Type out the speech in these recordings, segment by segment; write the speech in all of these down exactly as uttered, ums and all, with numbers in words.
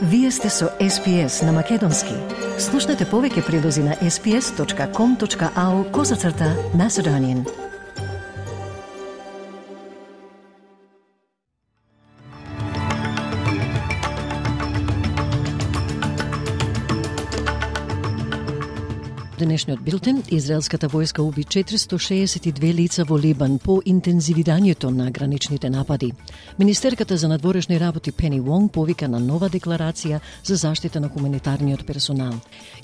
Вие сте со Ес Пи Ес на Македонски. Слушнете повеќе прилози на ес пи ес точка ком точка ау козацрта Macedonian. Денешниот билтен, израелската војска уби четиристо шеесет и две лица во Либан по интензивирањето на граничните напади. Министерката за надворешни работи Пени Вонг повика на нова декларација за заштита на хуманитарниот персонал.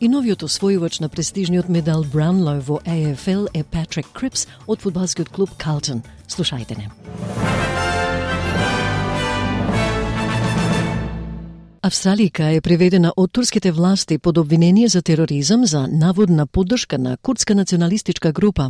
И новиот освојувач на престижниот медал Браунлоу во Ей Еф Ел е Патрик Крипс од фудбалскиот клуб Калтон. Слушајте не. Австралијка е приведена од турските власти под обвинение за тероризам за наводна поддршка на курдска националистичка група.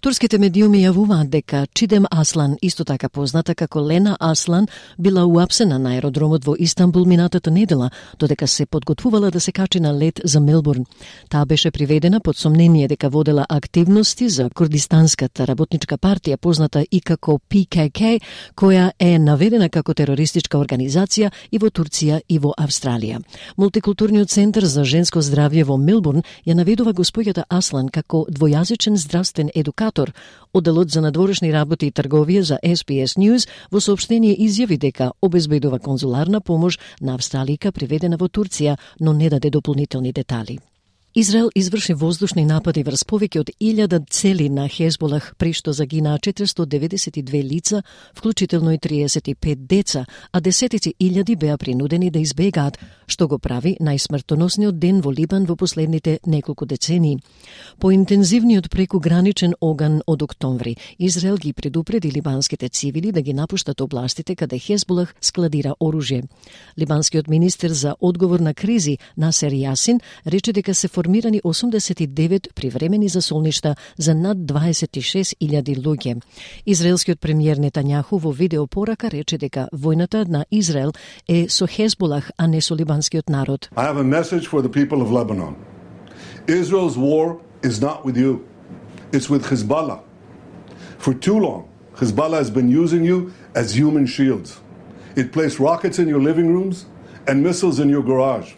Турските медиуми јавуваат дека Чидем Аслан, исто така позната како Лена Аслан, била уапсена на аеродромот во Истанбул минатата недела, додека се подготвувала да се качи на лет за Мелбурн. Таа беше приведена под сомнение дека водела активности за Курдистанската работничка партија, позната и како Пи Ке Ке, која е наведена како терористичка организација и во Турција и во Австралија. Мултикултурниот центар за женско здравје во Мелбурн ја наведува госпоѓата Аслан како двојазичен здравствен едукатор. Одделот за надворешни работи и трговија за Ес Пи Ес News во соопштение изјави дека обезбедува конзуларна помош на австралијка приведена во Турција, но не даде дополнителни детали. Израел изврши воздушни напади врз повеќе од илјада цели на Хезболах, при што загинаа четиристо деветдесет и две лица, вклучително и триесет и пет деца, а десетици илјади беа принудени да избегаат, што го прави најсмртоносниот ден во Либан во последните неколку децении. По интензивниот прекуграничен оган од октомври, Израел ги предупреди либанските цивили да ги напуштат областите каде Хезболах складира оружје. Либанскиот министер за одговор на кризи Насер Јасин рече дека се формирани осумдесет и девет привремени засолништа за над дваесет и шест илјади луѓе. Израелскиот премиер Нетањаху во видеопорака рече дека војната на Израел е со Хезболах, а не со либанскиот народ. I have a message for the people of Lebanon. Israel's war is not with you. It's with Hezbollah. For too long, Hezbollah has been using you as human shields. It placed rockets in your living rooms and missiles in your garage.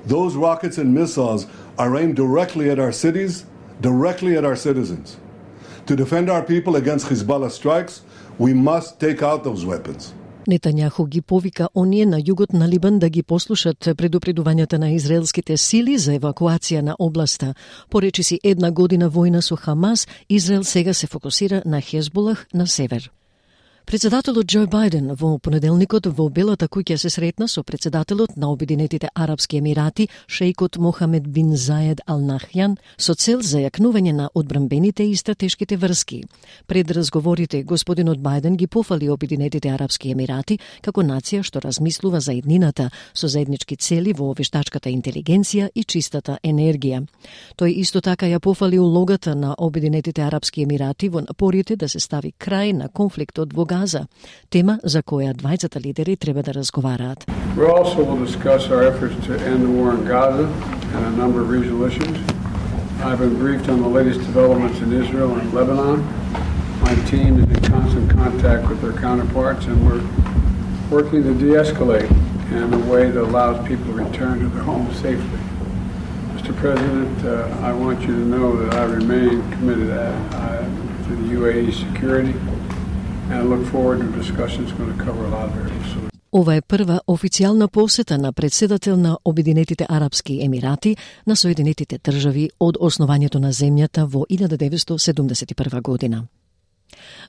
Those rockets and missiles are aimed directly at our cities, directly at our citizens. To defend our people against Hezbollah strikes, we must take out those weapons. Нетањаху ги повика оние на југот на Либан да ги послушат предупредувањата на израелските сили за евакуација на областа. Поречиси една година војна со Хамас, Израел сега се фокусира на Хезболах на север. Председателот Џо Бајден во понеделникот во Белата куќа се сретна со председателот на Обединетите Арапски Емирати, шејкот Мохамед бин Заед Ал Нахјан, со цел за јакнување на одбранбените и стратешките врски. Пред разговорите, господинот Бајден ги пофали Обединетите Арапски Емирати како нација што размислува за иднината со заеднички цели во вештачката интелигенција и чистата енергија. Тој исто така ја пофали улогата на Обединетите Арапски Емирати во напорите да се стави крај на конфликтот во Газа, тема за која двајцата лидери треба да разговараат. We also will discuss our efforts to end the war in Gaza and a number of regional issues. I've been briefed on the latest developments in Israel and Lebanon. My team is in constant contact with their counterparts and we're working to de-escalate in a way that allows people to return to their homes safely. Mister President, uh, I want you to know that I remain committed uh, to the U A E's security. And I look forward to discussions going to cover a lot of areas. Ова е прва официјална посета на председател на Обединетите Арапски Емирати на Соединетите држави од основањето на земјата во илјада деветстотини седумдесет и прва година.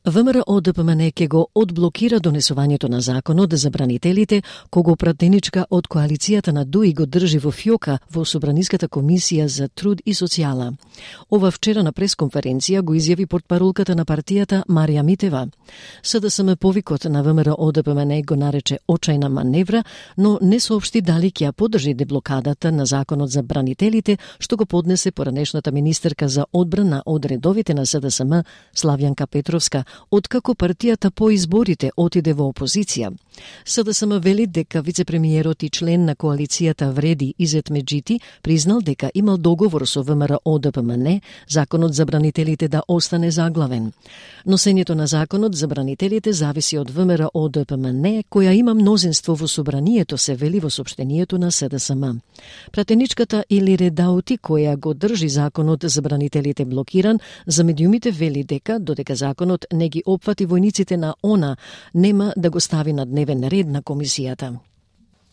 Вэ Ем Р О Д П М Н ќе го одблокира донесувањето на законот за бранителите, кого пратеничка од коалицијата на Дуи го држи во фјока во Собраниската комисија за труд и социјала. Ова вчера на пресконференција го изјави портпаролката на партијата Марија Митева. С Д С М повикот на Вэ Ем Р О Д П М Н го нарече очајна маневра, но не соопшти дали ќе ја поддржи деблокадата на законот за бранителите, што го поднесе поранешната министерка за одбрана од редовите на С Д С М Славјанка Петрова Петровска, откако партијата по изборите отиде во опозиција. СДСМ вели дека вице-премиерот и член на коалицијата Вреди Изет Меджити признал дека имал договор со ВМРО Д П М Н, законот за бранителите да остане заглавен. Носењето на законот за бранителите зависи од ВМРО Д П М Н, која има мнозинство во собранието, се вели во сопштенијето на СДСМ. Пратеничката Илире Даути, која го држи законот за бранителите блокиран, за медиумите вели дека, додека законот не ги опфати војниците на ОНА, нема да го стави на дневен ред на комисијата.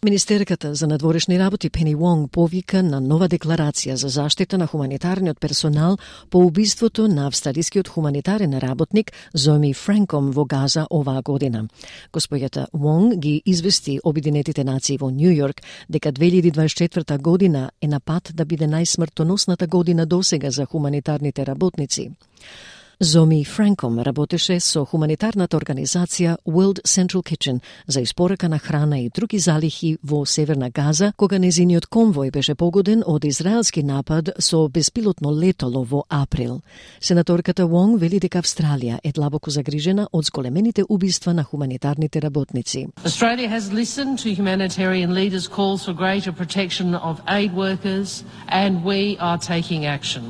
Министерката за надворешни работи Пени Вонг повика на нова декларација за заштита на хуманитарниот персонал по убиството на австралискиот хуманитарен работник Зоми Франком во Газа оваа година. Господјата Вонг ги извести Обединетите нации во Нью Йорк дека две илјади дваесет и четврта година е на пат да биде најсмртоносната година досега за хуманитарните работници. Зоми Франком работеше со хуманитарната организација World Central Kitchen за испорака на храна и други залихи во Северна Газа, кога незиниот конвој беше погоден од израелски напад со беспилотно летало во април. Сенаторката Вонг вели дека Австралија е длабоко загрижена од зголемените убиства на хуманитарните работници. Australia has listened to humanitarian leaders' calls for greater protection of aid workers, and we are taking action.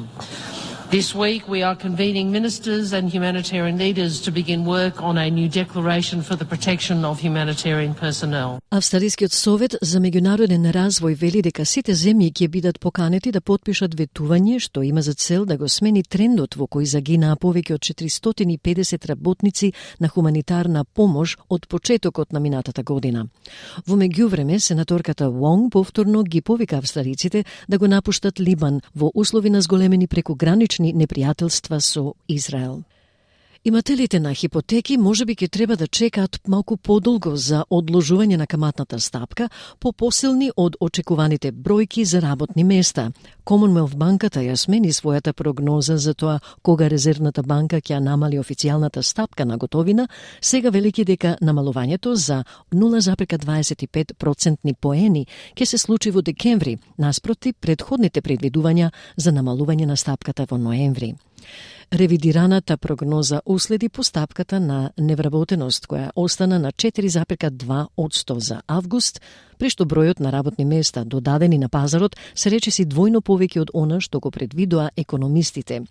This week we are convening ministers and humanitarian leaders to begin work on a new declaration for the protection of humanitarian personnel. Австралискиот совет за меѓународен развој вели дека сите земји ќе бидат поканети да потпишат ветување што има за цел да го смени трендот во кој загинаа повеќе од четиристотини и педесет работници на хуманитарна помош од почетокот на минатата година. Во меѓувреме, сенаторката Вонг повторно ги повика австралиците да го напуштат Либан во услови на зголемени прекогранични непријателства со Израел. Имателите на хипотеки можеби ќе треба да чекаат малку подолго за одложување на каматната стапка, по посилни од очекуваните бројки за работни места. Commonwealth банката ја смени својата прогноза за тоа кога Резервната банка ќе намали официјалната стапка на готовина, сега велики дека намалувањето за нула зарез дваесет и пет процентни поени ќе се случи во декември, наспроти предходните предвидувања за намалување на стапката во ноември. Ревидираната прогноза уследи постапката на невработеност, која остана на четири зарез два одсто за август, при што бројот на работни места додадени на пазарот се речиси двојно повеќе од она што го предвидоа економистите.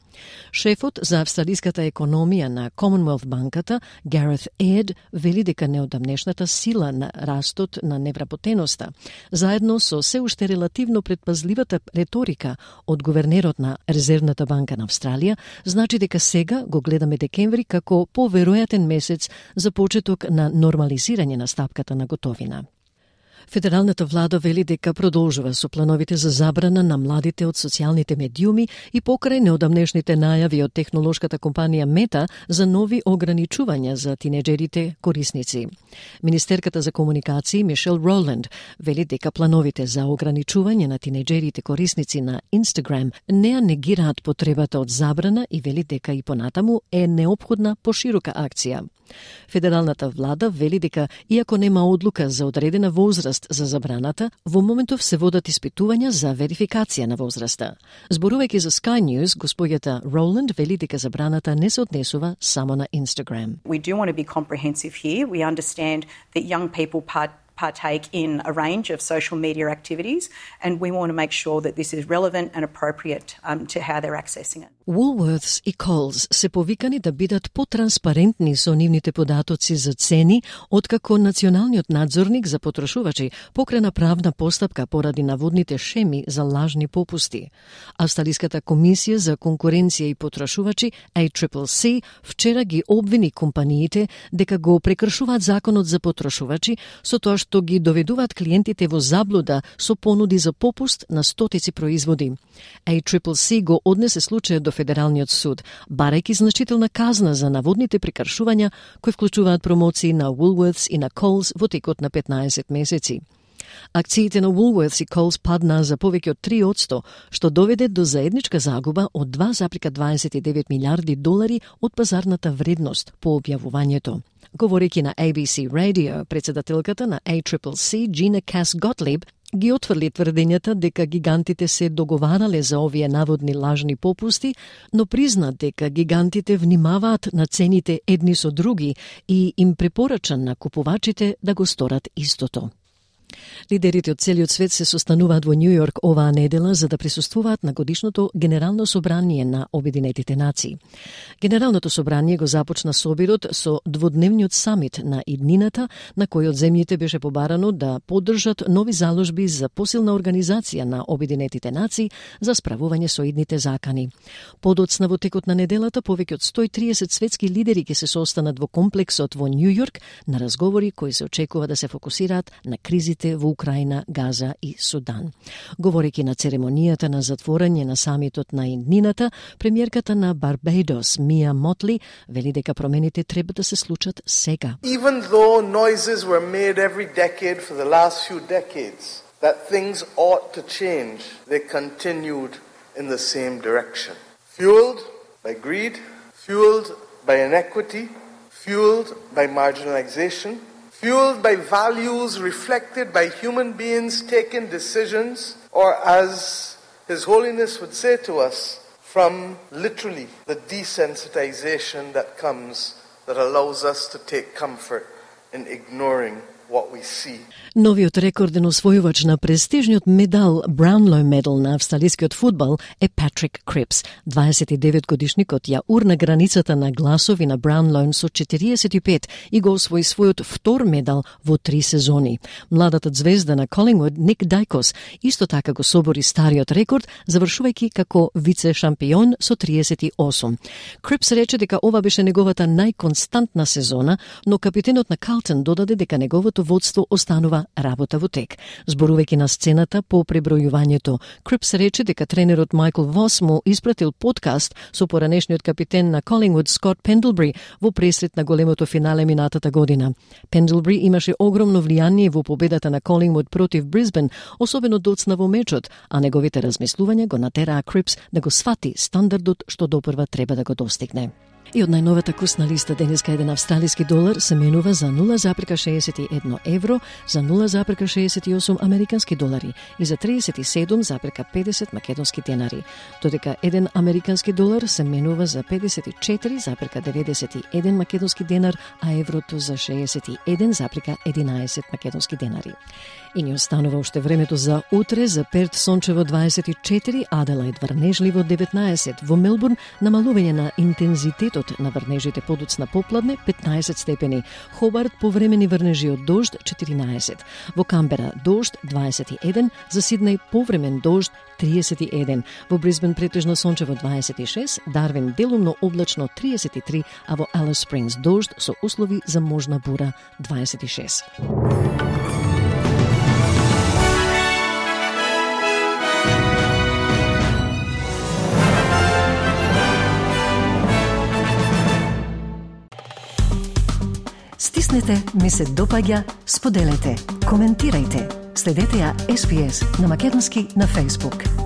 Шефот за австралиската економија на Commonwealth банката, Gareth Ed, вели дека неодамнешната сила на растот на невработеноста, заедно со се уште релативно предпазливата реторика од гувернерот на Резервната банка на Австралија, значи дека сега го гледаме декември како поверојатен месец за почеток на нормализирање на стапката на готовина. Федералната влада вели дека продолжува со плановите за забрана на младите од социјалните медиуми и покрај неодамнешните најави од технолошката компанија Мета за нови ограничувања за тинеџерите корисници. Министерката за комуникации Мишел Роланд вели дека плановите за ограничување на тинеџерите корисници на Instagram не ја негираат потребата од забрана и вели дека и понатаму е неопходна поширока акција. Федералната влада вели дека, иако нема одлука за одредена возраст за забраната, во моментов се водат испитувања за верификација на возраста. Зборувајќи за Sky News, господјата Роланд вели дека забраната не се однесува само на Instagram. We do want to be comprehensive here. We understand that young people part partake in a range of social media activities, and we want to make sure that this is relevant and appropriate um, to how they're accessing it. Woolworths и Coles се повикани да бидат потранспарентни со нивните податоци за цени, откако националниот надзорник за потрошувачи покрена правна постапка поради наводните шеми за лажни попусти. Австралиската комисија за конкуренција и потрошувачи A C C C вчера ги обвини компаниите дека го прекршуваат законот за потрошувачи со тоа што ги доведуваат клиентите во заблуда со понуди за попуст на стотици производи. A C C C го однесе случајот до Федералниот суд, барајќи значителна казна за наводните прекршувања кои вклучуваат промоции на Woolworths и на Coles во текот на петнаесет месеци. Акциите на Woolworths и Coles паднаа за повеќе од три одсто, што доведе до заедничка загуба од два зарез дваесет и девет милиарди долари од пазарната вредност по објавувањето. Говорејќи на A B C Radio, председателката на A C C C, Gina Cass Gottlieb, ги отфрли тврдењата дека гигантите се договарале за овие наводни лажни попусти, но призна дека гигантите внимаваат на цените едни со други и им препорача на купувачите да го сторат истото. Лидерите од целиот свет се состануваат во Нью Йорк оваа недела за да присуствуваат на годишното Генерално собрание на Обединетите нации. Генералното собрание го започна собирот со дводневниот самит на иднината, на кој од земјите беше побарано да поддржат нови заложби за посилна организација на Обединетите нации за справување со идните закани. Подоцна во текот на неделата повеќе од сто и триесет светски лидери ќе се состанат во комплексот во Нью Йорк на разговори кои се очекува да се фокусираат на кризите во Украина, Газа и Судан. Говорејќи на церемонијата на затворање на самитот на иднината, премиерката на Барбадос, Мија Мотли, вели дека промените треба да се случат сега. Even though noises were made every decade for the last few decades that things ought to change, they continued in the same direction. Fueled by greed, fueled by inequity, fueled by marginalization, fueled by values reflected by human beings taking decisions, or as His Holiness would say to us, from literally the desensitization that comes that allows us to take comfort in ignoring what we see. Новиот рекорден освојувач на престижниот медал Brownlow Medal на австралискиот фудбал е Патрик Крипс. дваесет и девет годишникот ја урна границата на гласови на Brownlow со четириесет и пет и го освои својот втор медал во три сезони. Младата звезда на Колингвуд Ник Дајкос исто така го собори стариот рекорд, завршувајќи како вице-шампион со триесет и осум. Крипс рече дека ова беше неговата најконстантна сезона, но капитенот на Калтон додаде дека неговото водство останува работа во тек. Зборувајќи на сцената по пребројувањето, Крипс рече дека тренерот Майкл Вос му испратил подкаст со поранешниот капитен на Колингвуд Скот Пендлбри во пресрет на големото финале минатата година. Пендлбри имаше огромно влијание во победата на Колингвуд против Брисбен, особено доцна во мечот, а неговите размислувања го натераа Крипс да го свати стандардот што допрва треба да го достигне. И од најновата курсна листа денеска еден австралиски долар се менува за нула запирка шеесет и едно евро, за нула запирка шеесет и осум американски долари и за триесет и седум запирка педесет македонски денари, додека еден американски долар се менува за педесет и четири запирка деветдесет и еден македонски денар, а еврото за шеесет и еден запирка единаесет македонски денари. И ни останува уште времето за утре, за Перт сончево дваесет и четири, Аделаид врнежливо деветнаесет, во Мелбурн намалување на интензитетот на врнежите подоцна попладне петнаесет степени, Хобарт повремени врнежи од дожд четиринаесет, во Камбера дожд дваесет и еден, за Сиднеј повремен дожд триесет и еден, во Брисбен претежно сончево дваесет и шест, Дарвин делумно облачно триесет и три, а во Алис Спрингс дожд со услови за можна бура дваесет и шест. Стиснете, ми се допаѓа, споделете, коментирајте. Следете ја Ес Би Ес на македонски на Facebook.